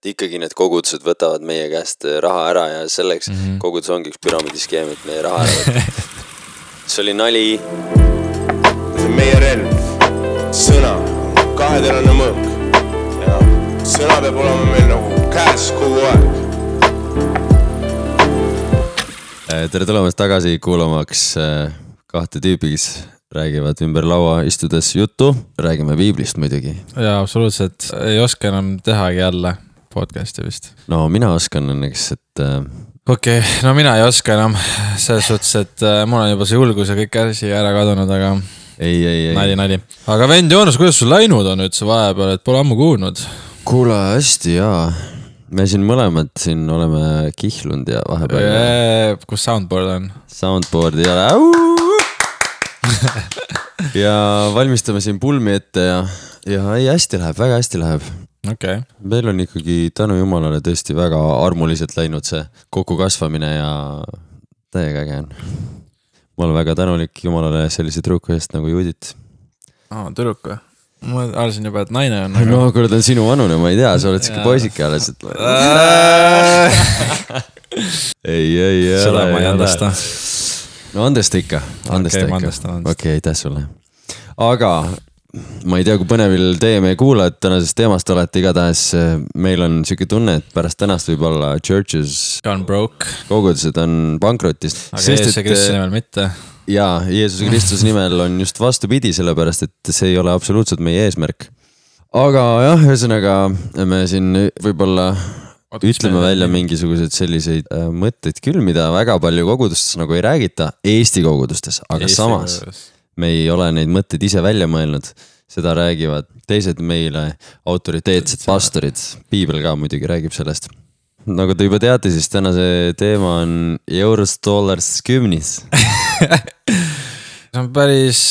ikkagi need kogudused võtavad meie käest raha ära ja selleks kogudus ongi üks püramiidiskeem, et meie raha ära võtta. See oli nali. See on meie relv, sõna, kaheterane mõõk ja sõna peab olema meil nagu käes kogu aeg. Tere tulemast tagasi kuulamaks kahte tüüpi, kes räägivad ümber laua istudes juttu. Räägime piiblist muidugi. Jaa, absoluutselt. Ei oska enam tehagi jälle podcasti vist. No mina oskan õnneks, et... Okei, no mina ei oska enam selles suhtes, et mul on juba see julgus ja kõik asi ära kadunud, aga... Ei. Nali. Aga vend Joonas, kuidas sul läinud on üldse vahepeal, et pole ammu kuulnud? Kuule, hästi, jaa. Me siin mõlemad siin oleme kihlunud ja vahepeal... Kus soundboard on? Soundboard ei ole. Ja valmistame siin pulmi ette ja ei, hästi läheb, väga hästi läheb. Okay. Meil on ikkagi tänu Jumalale tõesti väga armuliselt läinud see kokku kasvamine ja täiega äge on. Ma olen väga tänulik Jumalale sellise tüdruku eest nagu Judit. Tüdruk või? Ma arvasin juba, et naine on. No kuule, ta on sinu vanune, ma ei tea, sa oled siuke poisike alles. Ei. Seda ma ei andesta. No andesta ikka. Okei, aitäh sulle. Aga ma ei tea, kui põnevil teie meie kuulajad tänasest teemast olete, igatahes meil on siuke tunne, et pärast tänast võib olla churches on broke. Kogudused on pankrotist. Aga Jeesuse Kristuse nimel mitte. Jaa, Jeesuse Kristuse nimel on just vastupidi, sellepärast, et see ei ole absoluutselt meie eesmärk. Aga jah, ühesõnaga me siin võib-olla ütleme välja mingisugused selliseid mõtteid küll, mida väga palju kogudustes nagu ei räägita Eesti kogudustes, aga samas me ei ole neid mõtteid ise välja mõelnud. Seda räägivad teised meile autoriteetsed pastorid. Piibel ka muidugi räägib sellest. Nagu te juba teate, siis tänase teema on Euros dollars 10. See on päris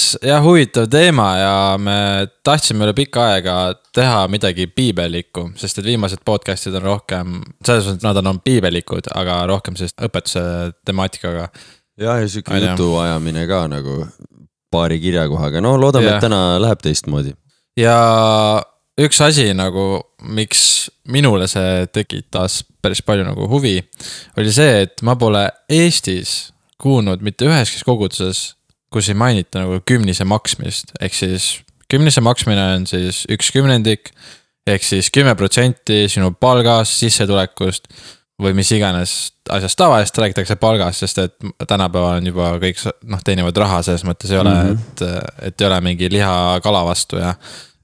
huvitav teema ja me tahtsime üle pikka aega teha midagi piibelikku, sest et viimased podcastid on rohkem, selles mõttes nad on piibelikud, aga rohkem sellist õpetuse temaatikaga. Ja siuke jutu ajamine ka nagu paari kirjakohaga. No loodame, et täna läheb teistmoodi. Ja üks asi nagu, miks minule see tekitas päris palju nagu huvi, oli see, et ma pole Eestis kuulnud mitte üheski koguduses, kus ei mainita nagu 10 maksmist. Ehk siis 10 maksmine on siis 1/10, ehk siis 10% sinu palgast, sissetulekust või mis iganes asjast tavaliselt räägitakse palgast, sest et tänapäeval on juba kõik teenivad raha, selles mõttes ei ole, et ei ole mingi liha kala vastu ja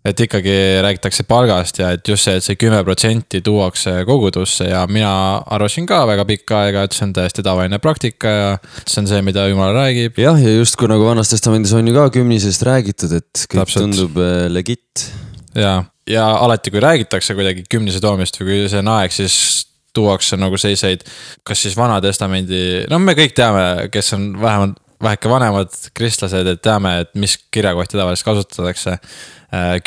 et ikkagi räägitakse palgast ja et just see, et see 10% tuuakse kogudusse ja mina arvasin ka väga pikka aega, et see on täiesti tavaline praktika ja see on see, mida Jumal räägib. Jah, ja just kui nagu Vanas Testamendis on ju ka 10-sest räägitud, et kõik tundub legit. Ja alati kui räägitakse kuidagi 10 toomist või kui see on aeg, siis tuuakse nagu selliseid, kas siis Vana Testamendi, no me kõik teame, kes on vähemalt väheke vanemad kristlased, et teame, et mis kirjakohti tavaliselt kasutatakse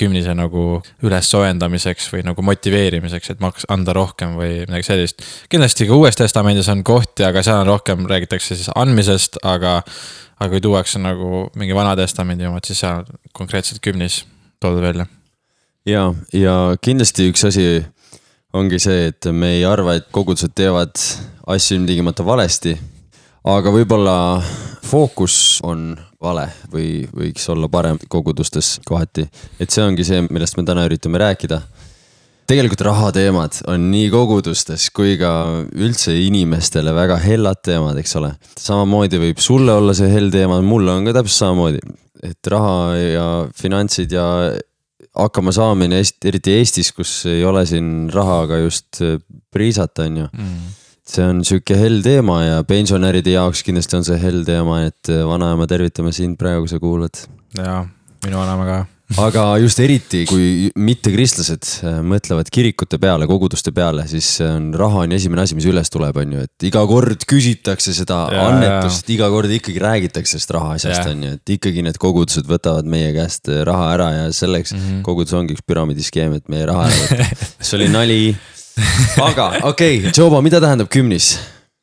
10 nagu üles soojendamiseks või nagu motiveerimiseks, et anda rohkem või midagi sellist. Kindlasti ka Uues Testamendis on kohti, aga seal on rohkem räägitakse siis andmisest, aga kui tuuakse nagu mingi Vana Testamendi omad, siis seal konkreetselt 10 toodud välja. Ja kindlasti üks asi ongi see, et me ei arva, et kogudused teevad asju ilmtingimata valesti, aga võib-olla fookus on vale või võiks olla parem kogudustes kohati. Et see ongi see, millest me täna üritame rääkida. Tegelikult rahateemad on nii kogudustes kui ka üldse inimestele väga hellad teemad, eks ole. Samamoodi võib sulle olla see hell teema, mulle on ka täpselt samamoodi. Et raha ja finantsid ja hakkama saamine, eriti Eestis, kus ei ole siin rahaga just priisata, on ju. See on siuke hell teema ja pensionäride jaoks kindlasti on see hell teema, et vanaema tervitame sind praegu, kui sa kuulad. Jaa, minu vanaema ka. Aga just eriti, kui mitte kristlased mõtlevad kirikute peale, koguduste peale, siis raha on esimene asi, mis üles tuleb, on ju. Et iga kord küsitakse seda annetust, iga kord ikkagi räägitakse sellest raha asjast, on ju. Et ikkagi need kogudused võtavad meie käest raha ära ja selleks kogudus ongi üks püramiidiskeem, et meie raha ära võtta. See oli nali. Aga okei, Joba, mida tähendab 10?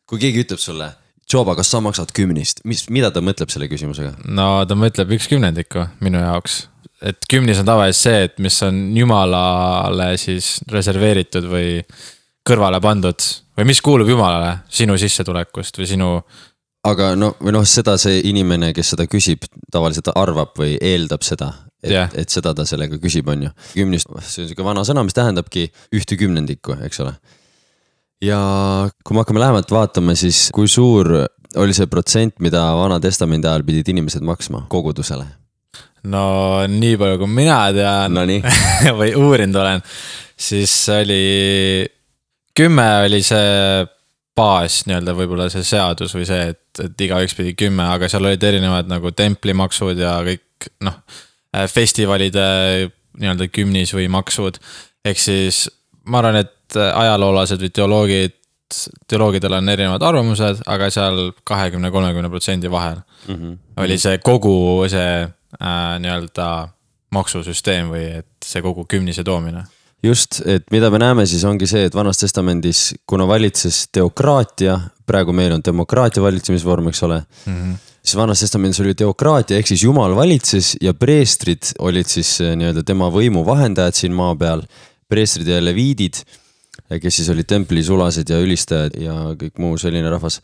Kui keegi ütleb sulle, Joba, kas sa maksad 10? Mida ta mõtleb selle küsimusega? No ta mõtleb 1/10 minu jaoks. et kümnis on tavaliselt see, et mis on jumalale siis reserveeritud või kõrvale pandud või mis kuulub jumalale sinu sissetulekust või sinu. Aga või seda see inimene, kes seda küsib, tavaliselt arvab või eeldab seda, et seda ta sellega küsib, on ju. Kümnist, see on selline vana sõna, mis tähendabki 1/10, eks ole. Ja kui me hakkame lähemalt vaatama, siis kui suur oli see protsent, mida Vana Testamendi ajal pidid inimesed maksma kogudusele? No nii palju, kui mina tean või uurinud olen, siis oli 10 oli see baas nii-öelda võib-olla see seadus või see, et iga üks pidi 10, aga seal olid erinevad nagu templimaksud ja kõik festivalide nii-öelda kümnis või maksud. Ehk siis ma arvan, et ajaloolased või teoloogidel on erinevad arvamused, aga seal 20-30% vahel oli see kogu see nii-öelda maksusüsteem või et see kogu kümnise toomine. Just, et mida me näeme siis ongi see, et Vanas Testamendis, kuna valitses teokraatia, praegu meil on demokraatia valitsemisvorm, eks ole, siis Vanas Testamendis oli teokraatia, ehk siis Jumal valitses ja preestrid olid siis nii-öelda tema võimu vahendajad siin maa peal, preestrid ja leviidid, kes siis olid tempelisulased ja ülistajad ja kõik muu selline rahvas.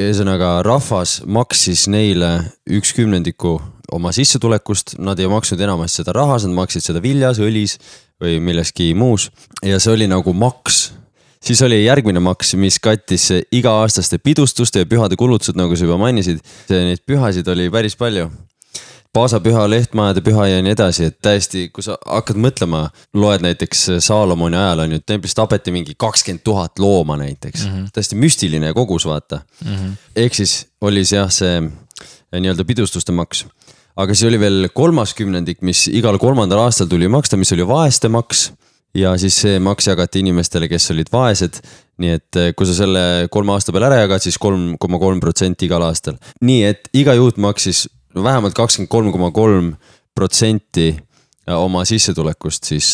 Ühesõnaga, rahvas maksis neile 1/10 oma sissetulekust, nad ei maksnud enamasti seda rahas, nad maksid seda viljas, õlis või milleski muus ja see oli nagu maks. Siis oli järgmine maks, mis kattis iga-aastaste pidustuste ja pühade kulutused, nagu sa juba mainisid. Neid pühasid oli päris palju. Paasapüha, lehtmajade püha ja nii edasi, et täiesti, kui sa hakkad mõtlema, loed näiteks Saalomoni ajal on ju, templist tapeti mingi 20 000 looma näiteks. Täiesti müstiline kogus, vaata. Ehk siis oli see nii-öelda pidustuste maks. Aga siis oli veel 30, mis igal 3. aastal tuli maksta, mis oli vaeste maks. Ja siis see maks jagati inimestele, kes olid vaesed. Nii et kui sa selle 3 aasta peal ära jagad, siis 3,3% igal aastal. Nii et iga juut maksis vähemalt 23,3% oma sissetulekust siis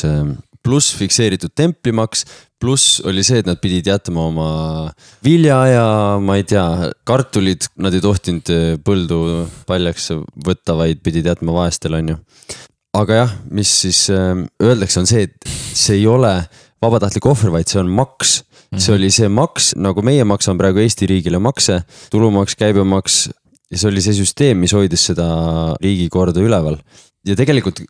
pluss fikseeritud templimaks, pluss oli see, et nad pidid jätma oma vilja ja ma ei tea, kartulid, nad ei tohtinud põldu paljaks võtta, vaid pidid jätma vaestel, on ju. Aga jah, mis siis öeldakse on see, et see ei ole vabatahtlik ohver, vaid see on maks. See oli see maks, nagu meie maksame praegu Eesti riigile makse, tulumaks, käibemaks. Ja see oli see süsteem, mis hoidis seda riigikorda üleval. Ja tegelikult,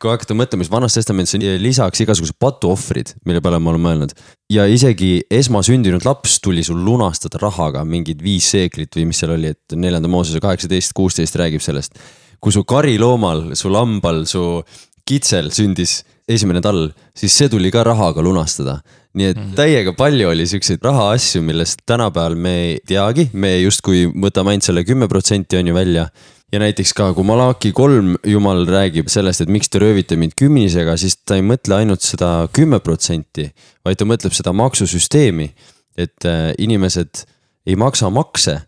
kui hakata mõtlema, siis Vanas Testamendis on lisaks igasugused patuohvrid, mille peale ma olen mõelnud. Ja isegi esmasündinud laps tuli sul lunastada rahaga mingid 5 seeklit või mis seal oli, et 4. Moosese 18-16 räägib sellest. Kui su kariloomal, su lambal, su kitsel sündis esimene tall, siis see tuli ka rahaga lunastada. Nii et täiega palju oli selliseid raha asju, millest tänapäeval me ei teagi, me just kui võtame ainult selle 10% on ju välja. Ja näiteks ka, kui Malaki 3 Jumal räägib sellest, et miks te röövite mind kümnisega, siis ta ei mõtle ainult seda 10%, vaid ta mõtleb seda maksusüsteemi, et inimesed ei maksa makse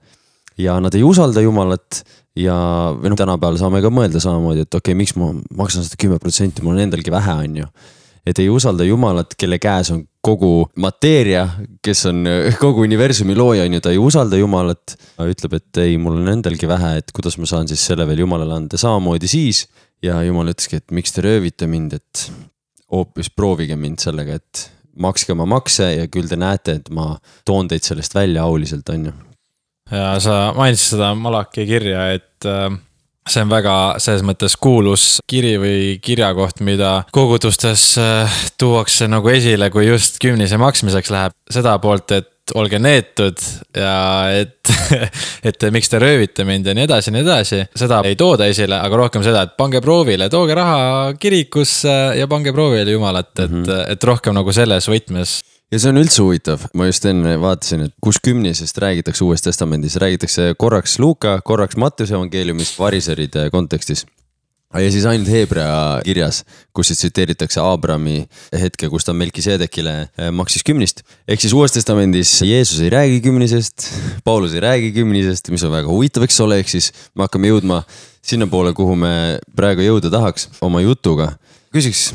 ja nad ei usalda Jumalat ja tänapäeval saame ka mõelda samamoodi, et okei, miks ma maksan seda 10%, mul on endalgi vähe, on ju. Et ei usalda Jumalat, kelle käes on kogu mateeria, kes on kogu universumi looja, on ju, ta ei usalda Jumalat. Ütleb, et ei, mul on endalgi vähe, et kuidas ma saan siis selle veel Jumalale anda samamoodi siis. Ja Jumal ütleski, et miks te röövite mind, et hoopis proovige mind sellega, et makske oma makse ja küll te näete, et ma toon teid sellest välja auliselt, on ju. Ja sa mainisid seda Malaki kirja, et see on väga selles mõttes kuulus kiri või kirjakoht, mida kogudustes tuuakse nagu esile, kui just kümnise maksmiseks läheb. Seda poolt, et olge neetud ja et miks te röövite mind ja nii edasi. Seda ei tooda esile, aga rohkem seda, et pange proovile, tooge raha kirikusse ja pange proovile Jumalat, et rohkem nagu selles võtmes. Ja see on üldse huvitav, ma just enne vaatasin, et kus kümnisest räägitakse Uues Testamendis, räägitakse korraks Luuka, korraks Mattuse evangeeliumist variseride kontekstis. Ja siis ainult Heebrea kirjas, kus siis tsiteeritakse Aabrami hetke, kus ta Melkisedekile maksis 10. Ehk siis Uues Testamendis Jeesus ei räägi 10, Paulus ei räägi 10, mis on väga huvitav, eks ole, ehk siis me hakkame jõudma sinna poole, kuhu me praegu jõuda tahaks oma jutuga. Küsiks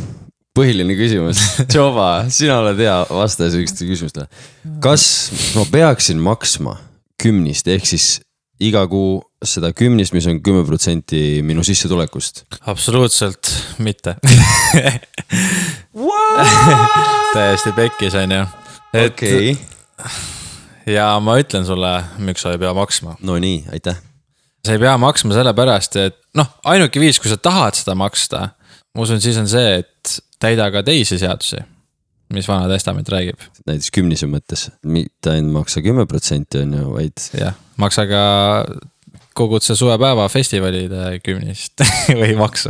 põhiline küsimus. Tšoba, sina oled hea vastaja selliste küsimustele. Kas ma peaksin maksma 10, ehk siis iga kuu seda kümnist, mis on 10% minu sissetulekust? Absoluutselt mitte. Täiesti pekkis on ju. Okei. Ja ma ütlen sulle, miks sa ei pea maksma. No nii, aitäh. Sa ei pea maksma sellepärast, et ainuke viis, kui sa tahad seda maksta, ma usun, siis on see, et täida ka teisi seadusi, mis Vana Testament räägib. Näiteks kümnise mõttes, mitte ainult maksa 10% on ju, vaid... Jah, maksa ka koguduse suvepäeva festivalide kümnist või maksu.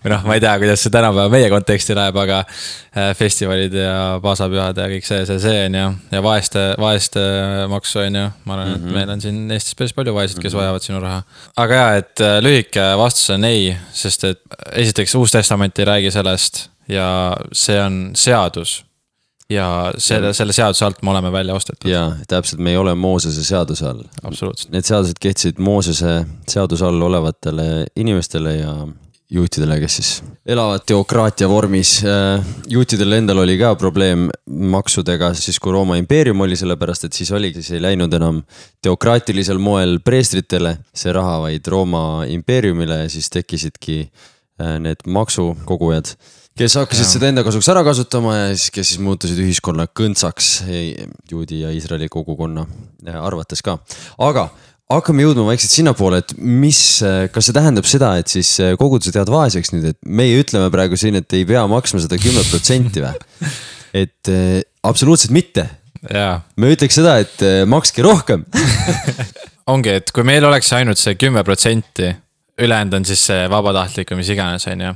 Või ma ei tea, kuidas see tänapäeva meie konteksti läheb, aga festivalid ja paasapühad ja kõik see on ju. Ja vaeste maksu on ju. Ma arvan, et meil on siin Eestis päris palju vaesed, kes vajavad sinu raha. Aga jah, et lühike vastus on ei, sest et esiteks Uus Testament ei räägi sellest ja see on seadus. Ja selle seaduse alt me oleme välja ostetud. Jaa, täpselt, me ei ole Moosese seaduse all. Absoluutselt. Need seadused kehtisid Moosese seaduse all olevatele inimestele ja juutidele, kes siis elavad teokraatia vormis. Juutidel endal oli ka probleem maksudega, siis kui Rooma impeerium oli, sellepärast, et siis ei läinud enam teokraatilisel moel preestritele see raha, vaid Rooma impeeriumile ja siis tekkisidki need maksukogujad, kes hakkasid seda enda kasuks ära kasutama ja siis, kes siis muutusid ühiskonna kõntsaks juudi ja Iisraeli kogukonna arvates ka. Aga hakkame jõudma vaikselt sinna poole, et kas see tähendab seda, et siis kogudused jäävad vaeseks nüüd, et meie ütleme praegu siin, et ei pea maksma seda 10% või? Et absoluutselt mitte. Jaa. Me ütleks seda, et makske rohkem. Ongi, et kui meil oleks ainult see 10%, ülejäänud on siis see vabatahtlik või mis iganes on ju.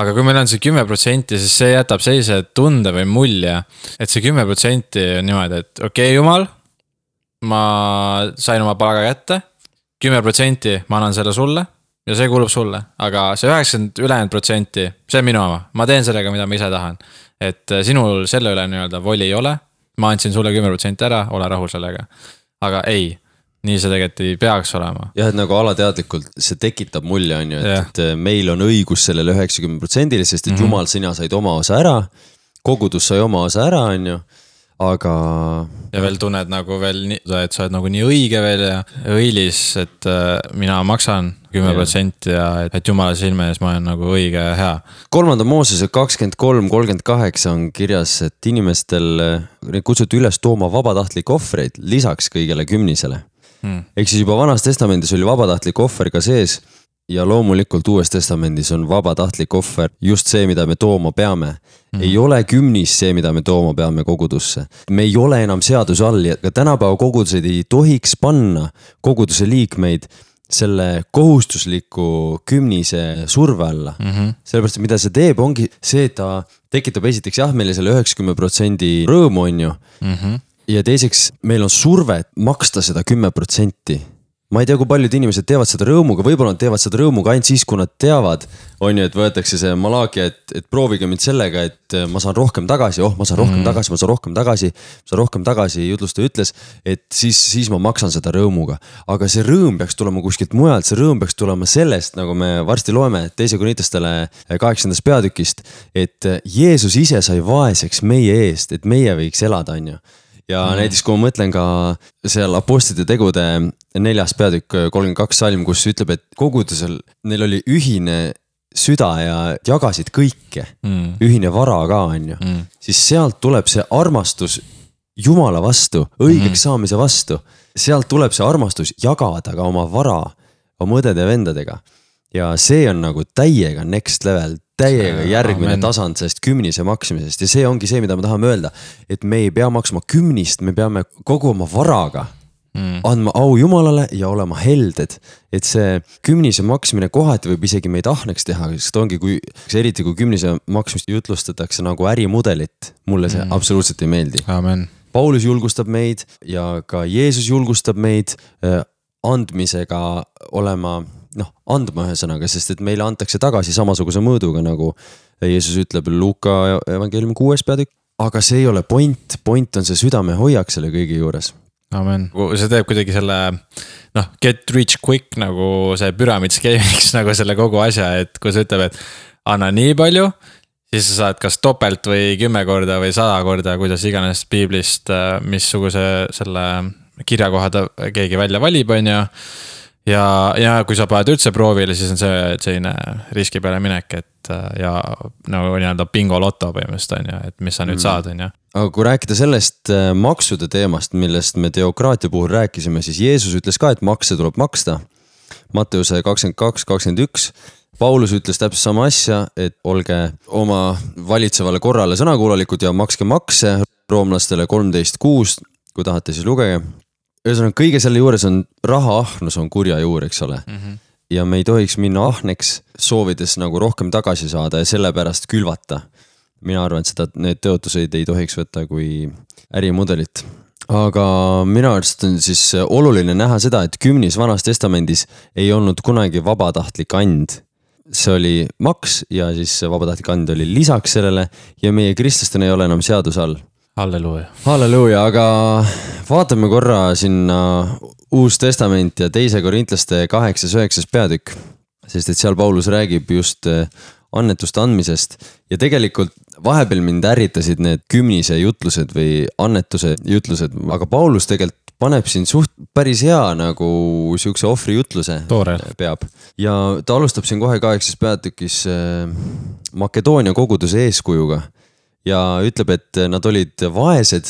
Aga kui meil on see 10%, siis see jätab sellise tunde või mulje, et see 10% on niimoodi, et okei, Jumal, ma sain oma palga kätte, 10% ma annan selle sulle ja see kuulub sulle, aga see 90% ülejäänud, see on minu oma, ma teen sellega, mida ma ise tahan. Et sinul selle üle nii-öelda voli ei ole, ma andsin sulle 10% ära, ole rahul sellega. Aga ei. Nii see tegelikult ei peaks olema. Jah, et nagu alateadlikult see tekitab mulje on ju, et meil on õigus sellele 90%, sest et Jumal, sina said oma osa ära, kogudus sai oma osa ära on ju, aga... Ja veel tunned nagu veel, et sa oled nagu nii õige veel ja õilis, et mina maksan 10% ja et Jumala silme ees ma olen nagu õige ja hea. 3. Moosese 23-38 on kirjas, et inimestel kutsuti üles tooma vabatahtlik ohvreid lisaks kõigele kümnisele. Ehk siis juba Vanas testamendis oli vabatahtlik ohver ka sees ja loomulikult Uues testamendis on vabatahtlik ohver just see, mida me tooma peame. Ei ole kümnis see, mida me tooma peame kogudusse. Me ei ole enam seaduse all ja tänapäeva kogudused ei tohiks panna koguduse liikmeid selle kohustusliku kümnise surve alla. Sellepärast, mida see teeb, ongi see, et ta tekitab esiteks meile selle 90% rõõmu on ju. Ja teiseks, meil on surve maksta seda 10%. Ma ei tea, kui paljud inimesed teevad seda rõõmuga, võib-olla nad teevad seda rõõmuga ainult siis, kui nad teavad, on ju, et võetakse see malaagia, et proovige mind sellega, et ma saan rohkem tagasi, ma saan rohkem tagasi, jutlustaja ütles, et siis ma maksan seda rõõmuga. Aga see rõõm peaks tulema kuskilt mujalt, see rõõm peaks tulema sellest, nagu me varsti loeme 2. Korintastele 8. peatükist, et Jeesus ise sai vaeseks meie eest, et meie võiks elada, on ju. Ja näiteks kui ma mõtlen ka seal apostlite tegude 4. peatükk 32 salm, kus ütleb, et kogudusel neil oli ühine süda ja jagasid kõike, ühine vara ka on ju, siis sealt tuleb see armastus Jumala vastu, õigeks saamise vastu, sealt tuleb see armastus jagada ka oma vara, oma õdede ja vendadega. Ja see on nagu täiega next level, täiega järgmine tasand sellest kümnise maksmisest ja see ongi see, mida me tahame öelda, et me ei pea maksma kümnist, me peame kogu oma varaga andma au Jumalale ja olema helded, et see kümnise maksmine kohati võib isegi meid ahneks teha, sest ongi, eriti kui kümnise maksmist jutlustatakse nagu ärimudelit, mulle see absoluutselt ei meeldi. Amen. Paulus julgustab meid ja ka Jeesus julgustab meid andmisega olema andma ühesõnaga, sest et meile antakse tagasi samasuguse mõõduga, nagu Jeesus ütleb Luuka evangeeliumi 6. peatükk. Aga see ei ole point on see südame hoiak selle kõigi juures. Amen. See teeb kuidagi selle, get rich quick nagu see püramidskeemiks nagu selle kogu asja, et kui sa ütleb, et anna nii palju, siis sa saad kas topelt või 10 korda või 100 korda, kuidas iganes piiblist, missuguse selle kirjakohad keegi välja valib, on ju. ja kui sa paned üldse proovile, siis on see selline riski peale minek, et ja nagu nii-öelda bingo loto põhimõtteliselt on ju, et mis sa nüüd saad, on ju. Aga kui rääkida sellest maksude teemast, millest me teokraatia puhul rääkisime, siis Jeesus ütles ka, et makse tuleb maksta. Matteuse 22-21. Paulus ütles täpselt sama asja, et olge oma valitsevale korrale sõnakuulalikud ja makske makse, roomlastele 13.6, kui tahate siis lugege. Ühesõnaga, kõige selle juures on rahaahnus on kurja juur, eks ole. Ja me ei tohiks minna ahneks, soovides nagu rohkem tagasi saada ja sellepärast külvata. Mina arvan, et need tõotuseid ei tohiks võtta kui ärimudelit. Aga minu arust on siis oluline näha seda, et 10 vanas testamendis ei olnud kunagi vabatahtlik and. See oli maks ja siis vabatahtlik and oli lisaks sellele ja meie kristlastena ei ole enam seaduse all. Halleluuja, aga vaatame korra sinna Uus Testament ja 2 Korintlaste 8-9 peatükk, sest et seal Paulus räägib just annetuste andmisest ja tegelikult vahepeal mind ärritasid need 10 jutlused või annetuse jutlused, aga Paulus tegelikult paneb siin suht päris hea nagu siukse ohvri jutluse peab. Ja ta alustab siin kohe 8 peatükis Makedoonia koguduse eeskujuga ja ütleb, et nad olid vaesed,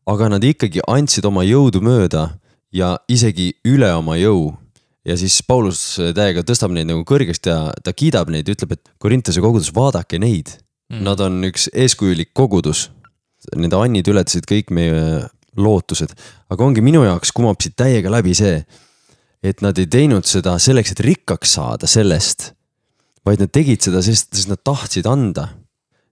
aga nad ikkagi andsid oma jõudu mööda ja isegi üle oma jõu. Ja siis Paulus täiega tõstab neid nagu kõrgest ja ta kiidab neid ja ütleb, et Korintuse kogudus, vaadake neid. Nad on üks eeskujulik kogudus. Nende annid ületasid kõik meie lootused. Aga ongi minu jaoks kumab siit täiega läbi see, et nad ei teinud seda selleks, et rikkaks saada sellest, vaid nad tegid seda, sest nad tahtsid anda.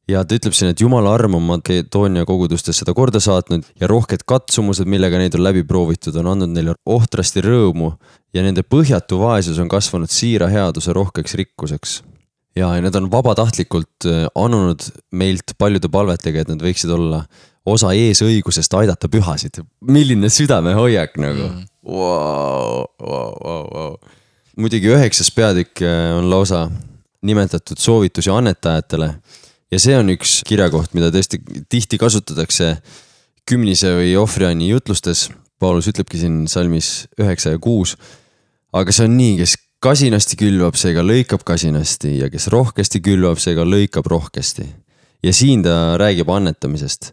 Ja ta ütleb siin, et Jumala arm on Makedoonia kogudustes seda korda saatnud ja rohked katsumused, millega neid on läbi proovitud, on andnud neile ohtrasti rõõmu ja nende põhjatu vaesus on kasvanud siira headuse rohkeks rikkuseks. Ja need on vabatahtlikult annunud meilt paljude palvetega, et nad võiksid olla osa eesõigusest aidata pühasid. Milline südame hoiak nagu. Wow. Muidugi 9 peatükk on lausa nimetatud soovitusi annetajatele. Ja see on üks kirjakoht, mida tõesti tihti kasutatakse 10 või ohvrianni jutlustes. Paulus ütlebki siin salmis 9 ja 6. Aga see on nii, kes kasinasti külvab, seega lõikab kasinasti ja kes rohkesti külvab, seega lõikab rohkesti. Ja siin ta räägib annetamisest.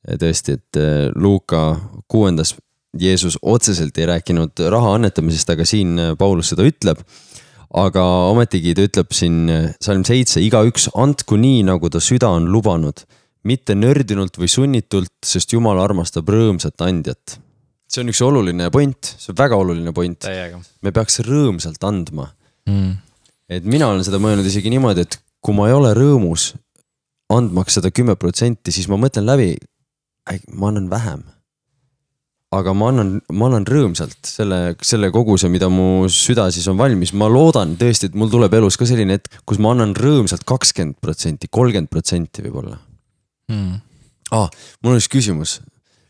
Tõesti, et Luuka 6. Jeesus otseselt ei rääkinud raha annetamisest, aga siin Paulus seda ütleb. Aga ometigi ta ütleb siin salm 7, igaüks andku nii, nagu ta süda on lubanud, mitte nördinult või sunnitult, sest Jumal armastab rõõmsat andjat. See on üks oluline point, see on väga oluline point. Täiega. Me peaks rõõmsalt andma. Et mina olen seda mõelnud isegi niimoodi, et kui ma ei ole rõõmus andmaks seda 10%, siis ma mõtlen läbi, ma annan vähem. Aga ma annan rõõmsalt selle koguse, mida mu süda siis on valmis. Ma loodan tõesti, et mul tuleb elus ka selline hetk, kus ma annan rõõmsalt 20%, 30% võib-olla. Mul on üks küsimus.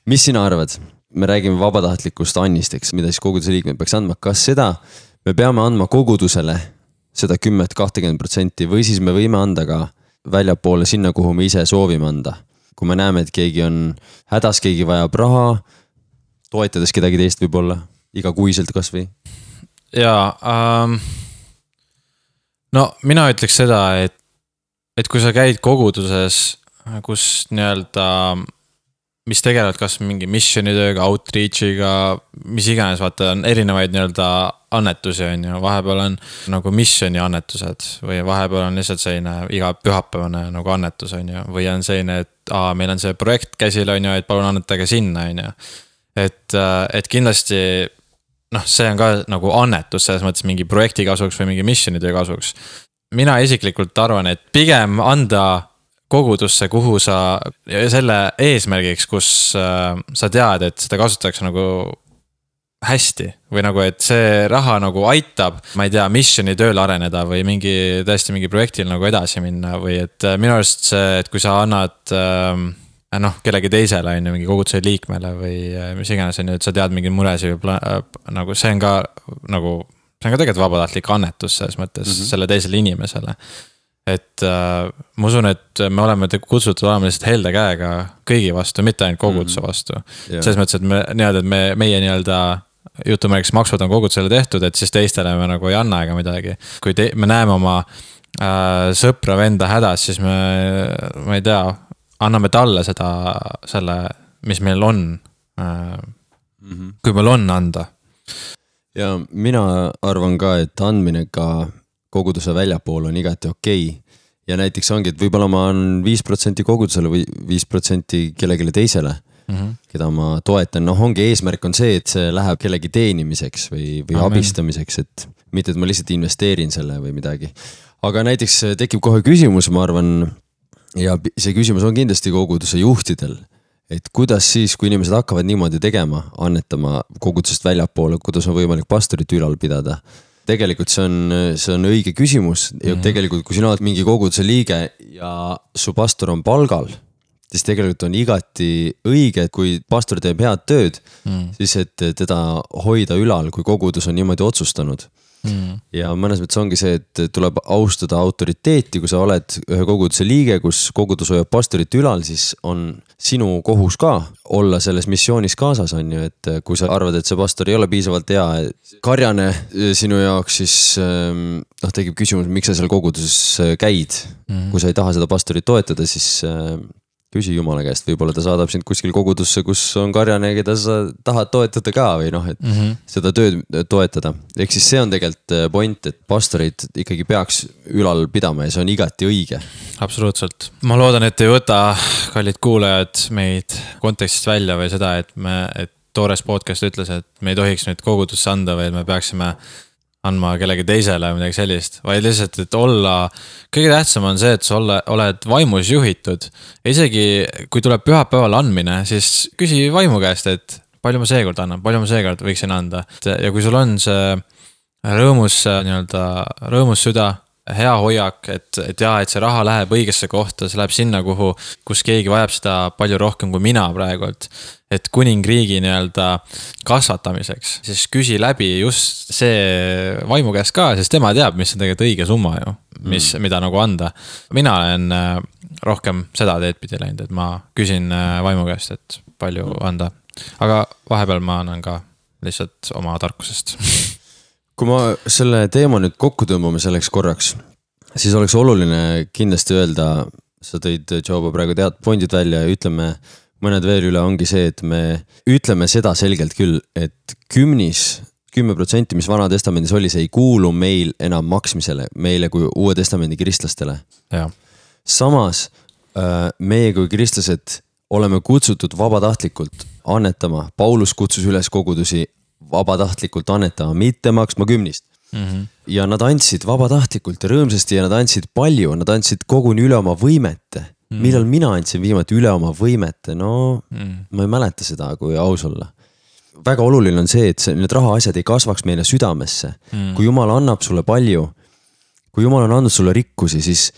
Mis sina arvad? Me räägime vabatahtlikust annisteks, mida siis koguduse liikmed peaks andma. Kas seda me peame andma kogudusele seda 10-20% või siis me võime anda ka väljapoole sinna, kuhu me ise soovime anda? Kui me näeme, et keegi on hädas, keegi vajab raha, toetades kedagi teist võib-olla, igakuiselt kas või? Jaa, no mina ütleks seda, et kui sa käid koguduses, kus nii-öelda, mis tegelevad kas mingi missionitööga, outreachiga, mis iganes, vaata on erinevaid nii-öelda annetusi on ju, vahepeal on nagu missioni annetused või vahepeal on lihtsalt selline iga pühapäevane nagu annetus on ju, või on selline, et meil on see projekt käsil on ju, et palun annetage sinna on ju. Et kindlasti, see on ka nagu annetus, selles mõttes mingi projekti kasuks või mingi missionitöö kasuks. Mina isiklikult arvan, et pigem anda kogudusse, kuhu sa, selle eesmärgiks, kus sa tead, et seda kasutatakse nagu hästi või nagu, et see raha nagu aitab, ma ei tea, missioni tööl areneda või tõesti mingi projektil nagu edasi minna või et minu arust see, et kui sa annad kellegi teisele on ju mingi koguduse liikmele või mis iganes on ju, et sa tead mingi muresi nagu see on ka tegelikult vabatahtlik annetus selles mõttes selle teisele inimesele. Et ma usun, et me oleme kutsutud olema lihtsalt helde käega kõigi vastu, mitte ainult koguduse vastu. Selles mõttes, et meie nii-öelda jutumärgis maksud on kogudusele tehtud, et siis teistele me nagu ei anna ega midagi. Kui me näeme oma sõpra venda hädas, siis ma ei tea, anname talle selle, mis meil on, kui meil on anda. Ja mina arvan ka, et andmine ka koguduse väljapool on igati okei. Ja näiteks ongi, et võib-olla ma on 5% kogudusele või 5% kellegile teisele, keda ma toetan. Noh, ongi eesmärk on see, et see läheb kellegi teenimiseks või abistamiseks, et mitte, et ma lihtsalt investeerin selle või midagi. Aga näiteks tekib kohe küsimus, ma arvan, ja see küsimus on kindlasti koguduse juhtidel, et kuidas siis, kui inimesed hakkavad niimoodi tegema, annetama kogudusest väljapoole, kuidas on võimalik pastorit ülal pidada. Tegelikult see on õige küsimus ja tegelikult, kui sina oled mingi koguduse liige ja su pastor on palgal, siis tegelikult on igati õige, et kui pastor teeb head tööd, siis et teda hoida ülal, kui kogudus on niimoodi otsustanud. Ja mõnes mõttes ongi see, et tuleb austada autoriteeti, kui sa oled ühe koguduse liige, kus kogudus hoiab pastorit ülal, siis on sinu kohus ka olla selles missioonis kaasas, on ju, et kui sa arvad, et see pastor ei ole piisavalt hea karjane sinu jaoks, siis tekib küsimus, miks sa seal koguduses käid. Kui sa ei taha seda pastorit toetada, siis küsi Jumala käest, võib-olla ta saadab sind kuskil kogudusse, kus on karjane, keda sa tahad toetada ka või noh, et seda tööd toetada. Ehk siis see on tegelikult point, et pastorid ikkagi peaks ülal pidama ja see on igati õige. Absoluutselt. Ma loodan, et ei võta kallid kuulajad meid kontekstist välja või seda, et Toores podcast ütles, et me ei tohiks nüüd kogudusse anda, või me peaksime andma kellegi teisele midagi sellist, vaid lihtsalt, et kõige tähtsam on see, et sa oled vaimus juhitud. Isegi kui tuleb pühapäeval andmine, siis küsi vaimu käest, et palju ma seekord annan, palju ma seekord võiksin anda. Ja kui sul on see rõõmus süda, hea hoiak, et see raha läheb õigesse kohta, see läheb sinna, kus keegi vajab seda palju rohkem kui mina praegult, et kuningriigi kasvatamiseks, siis küsi läbi just see vaimu käest ka, sest tema teab, mis on tegelikult õige summa ju, mida nagu anda. Mina olen rohkem seda teed pidi läinud, et ma küsin vaimu käest, et palju anda, aga vahepeal ma annan ka lihtsalt oma tarkusest. Kui ma selle teema nüüd kokku tõmbame selleks korraks, siis oleks oluline kindlasti öelda, sa tõid Joba praegu pointid välja ja ütleme mõned veel üle, ongi see, et me ütleme seda selgelt küll, et 10%, mis Vana Testamendis oli, see ei kuulu meil enam maksmisele, meile kui Uue Testamendi kristlastele. Ja. Samas meie kui kristlased oleme kutsutud vabatahtlikult annetama. Paulus kutsus üles kogudusi vabatahtlikult annetama, mitte maksma 10. Ja nad andsid vabatahtlikult ja rõõmsasti ja nad andsid palju, nad andsid koguni üle oma võimete. Millal mina andsin viimati üle oma võimete? No, ma ei mäleta seda, kui aus olla. Väga oluline on see, et need rahaasjad ei kasvaks meile südamesse. Kui Jumal annab sulle palju, kui Jumal on andnud sulle rikkusi, siis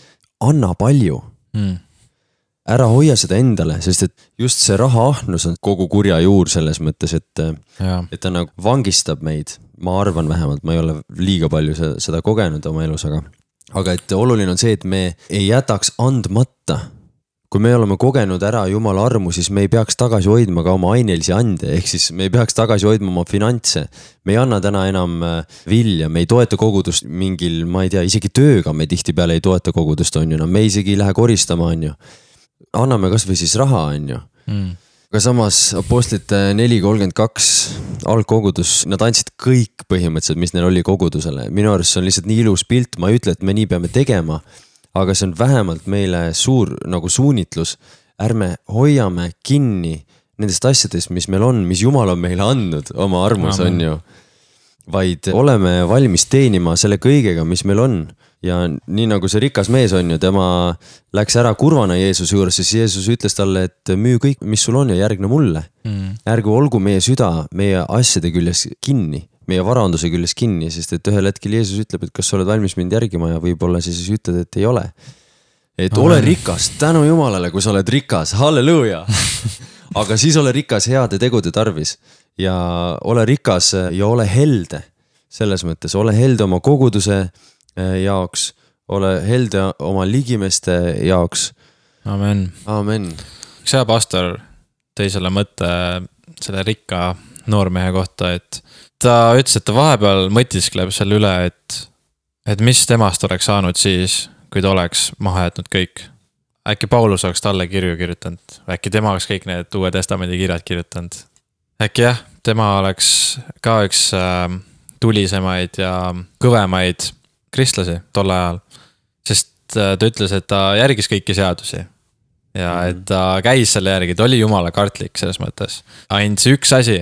anna palju. Ära hoia seda endale, sest et just see rahaahnus on kogu kurja juur selles mõttes, et ta nagu vangistab meid. Ma arvan vähemalt, ma ei ole liiga palju seda kogenud oma elus, aga et oluline on see, et me ei jätaks andmata. Kui me oleme kogenud ära Jumala armu, siis me ei peaks tagasi hoidma ka oma ainelisi ande, ehk siis me ei peaks tagasi hoidma oma finantse. Me ei anna täna enam vilja, me ei toeta kogudust mingil, ma ei tea, isegi tööga me tihti peale ei toeta kogudust, on ju, me isegi ei lähe koristama, on ju. Anname kas või siis raha, on ju. Aga samas apostlite 4.32 algkogudus, nad andsid kõik põhimõtteliselt, mis neil oli kogudusele. Minu arust see on lihtsalt nii ilus pilt, ma ei ütle, et me nii peame tegema, aga see on vähemalt meile suur nagu suunitlus. Ärme hoiame kinni nendest asjadest, mis meil on, mis Jumal on meile andnud oma armus, on ju. Vaid oleme valmis teenima selle kõigega, mis meil on. Ja nii nagu see rikas mees on ju, tema läks ära kurvana Jeesuse juures, siis Jeesus ütles talle, et müü kõik, mis sul on ja järgne mulle. Ärgu olgu meie süda meie asjade küljes kinni, meie varanduse küljes kinni, sest et ühel hetkel Jeesus ütleb, et kas sa oled valmis mind järgima ja võib-olla siis ütled, et ei ole. Et ole rikas, tänu Jumalale, kui sa oled rikas, halleluuja. Aga siis ole rikas heade tegude tarvis ja ole rikas ja ole helde. Selles mõttes, ole helde oma koguduse jaoks, ole helde oma ligimeste jaoks. Amen. Amen. Üks hea pastor tõi selle mõtte selle rikka noormehe kohta, et ta ütles, et ta vahepeal mõtiskleb selle üle, et mis temast oleks saanud siis, kui ta oleks maha jätnud kõik. Äkki Paulus oleks talle kirju kirjutanud, äkki tema oleks kõik need Uue Testamendi kirjad kirjutanud. Äkki jah, tema oleks ka üks tulisemaid ja kõvemaid kristlasi tol ajal, sest ta ütles, et ta järgis kõiki seadusi ja et ta käis selle järgi, ta oli jumala kartlik selles mõttes. Ainult see üks asi,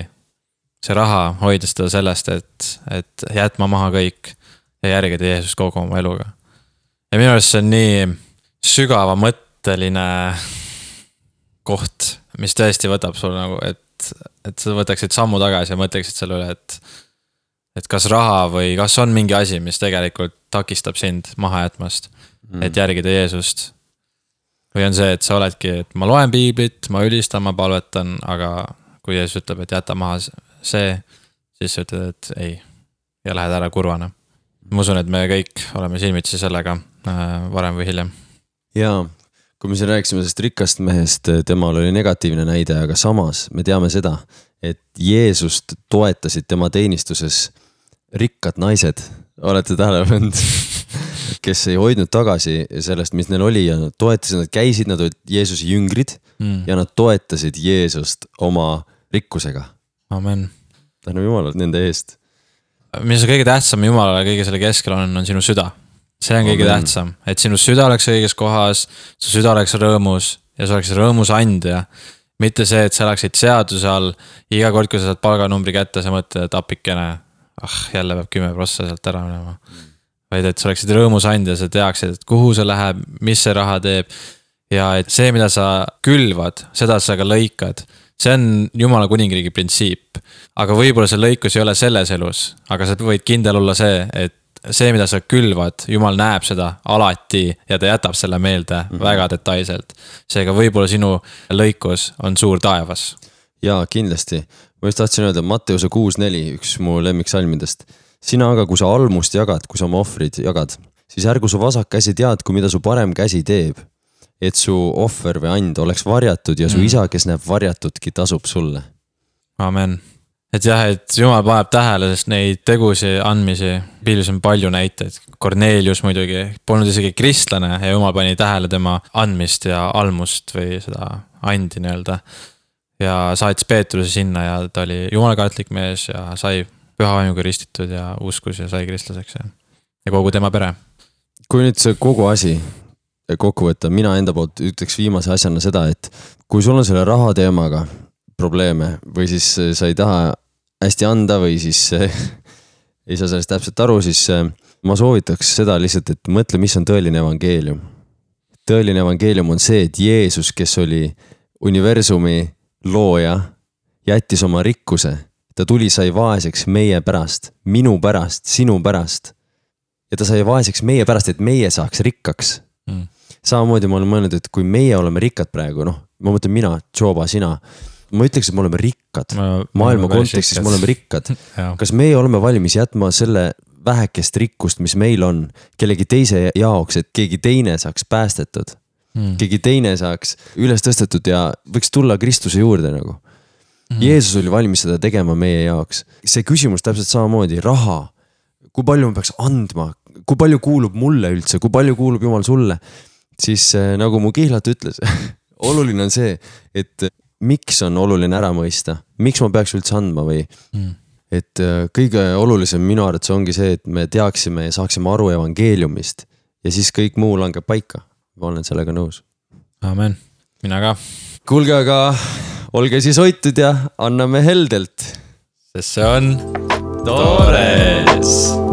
see raha hoides ta sellest, et jätma maha kõik ja järgida Jeesus kogu oma eluga. Ja minu arust see on nii sügava mõtteline koht, mis tõesti võtab sul nagu, et sa võtaksid sammu tagasi ja mõtleksid selle üle, et kas raha või kas on mingi asi, mis tegelikult takistab sind maha jätmast, et järgida Jeesust. Või on see, et sa oledki, et ma loen piiblit, ma ülistan, ma palvetan, aga kui Jeesus ütleb, et jäta maha see, siis sa ütled, et ei, ja lähed ära kurvana. Ma usun, et me kõik oleme silmitsi sellega varem või hiljem. Jaa, kui me siin rääksime sellest rikast mehest, temal oli negatiivne näide, aga samas me teame seda, et Jeesust toetasid tema teenistuses rikkad naised, olete tähele pannud, kes ei hoidnud tagasi sellest, mis neil oli ja nad toetasid, nad käisid, nad olid Jeesuse jüngrid ja nad toetasid Jeesust oma rikkusega. Amen. Tänu Jumalale nende eest. Mis on kõige tähtsam Jumalale kõige selle keskel on sinu süda. See on kõige tähtsam, et sinu süda oleks õiges kohas, su süda oleks rõõmus ja sa oleks rõõmus andja. Mitte see, et sa läksid seaduse all, iga kord, kui sa saad palganumbri kätte, sa mõtled, et apikene, jälle peab 10% sealt ära minema. Vaid et sa oleksid rõõmus andja, sa teaksid, et kuhu see läheb, mis see raha teeb ja et see, mida sa külvad, seda sa ka lõikad. See on Jumala kuningriigi printsiip, aga võib-olla see lõikus ei ole selles elus, aga sa võid kindel olla see, et see, mida sa külvad, Jumal näeb seda alati ja ta jätab selle meelde väga detailselt. Seega võib-olla sinu lõikus on suur taevas. Jaa, kindlasti. Ma just tahtsin öelda, Matteuse 6.4, üks mu lemmiksalmidest. Sina aga, kui sa almust jagad, kui sa oma ohvrid jagad, siis ärgu su vasak käsi teadku, mida su parem käsi teeb, et su ohver või and oleks varjatud ja su isa, kes näeb varjatudki, tasub sulle. Amen. Et jah, et Jumal paneb tähele, sest neid tegusi andmisi, piilis on palju näiteid. Kornelius muidugi polnud isegi kristlane ja Jumal pani tähele tema andmist ja almust või seda andi nii-öelda. Ja saatis Peetruse sinna ja ta oli jumalakartlik mees ja sai püha vaimuga ristitud ja uskus ja sai kristlaseks ja kogu tema pere. Kui nüüd see kogu asi kokku võtta, mina enda poolt ütleks viimase asjana seda, et kui sul on selle raha teemaga probleeme või siis sa ei taha hästi anda või siis ei saa sellest täpselt aru, siis ma soovitaks seda lihtsalt, et mõtle, mis on tõeline evangeelium. Tõeline evangeelium on see, et Jeesus, kes oli universumi looja, jättis oma rikkuse. Ta tuli, sai vaeseks meie pärast, minu pärast, sinu pärast. Ja ta sai vaeseks meie pärast, et meie saaks rikkaks. Samamoodi ma olen mõelnud, et kui meie oleme rikkad praegu, ma mõtlen mina, Joba, sina, ma ütleks, et me oleme rikkad. Maailma kontekstis me oleme rikkad. Kas meie oleme valmis jätma selle vähekest rikkust, mis meil on, kellegi teise jaoks, et keegi teine saaks päästetud? Keegi teine saaks üles tõstetud ja võiks tulla Kristuse juurde nagu. Jeesus oli valmis seda tegema meie jaoks. See küsimus täpselt samamoodi, raha, kui palju ma peaks andma, kui palju kuulub mulle üldse, kui palju kuulub Jumal sulle, siis nagu mu kihlat ütles, oluline on see, et miks on oluline ära mõista, miks ma peaks üldse andma või et kõige olulisem minu arvates ongi see, et me teaksime ja saaksime aru evangeeliumist ja siis kõik muu langeb paika. Ma olen sellega nõus. Amen. Mina ka. Kuulge, aga olge siis hoitud ja anname heldelt. Sest see on toores.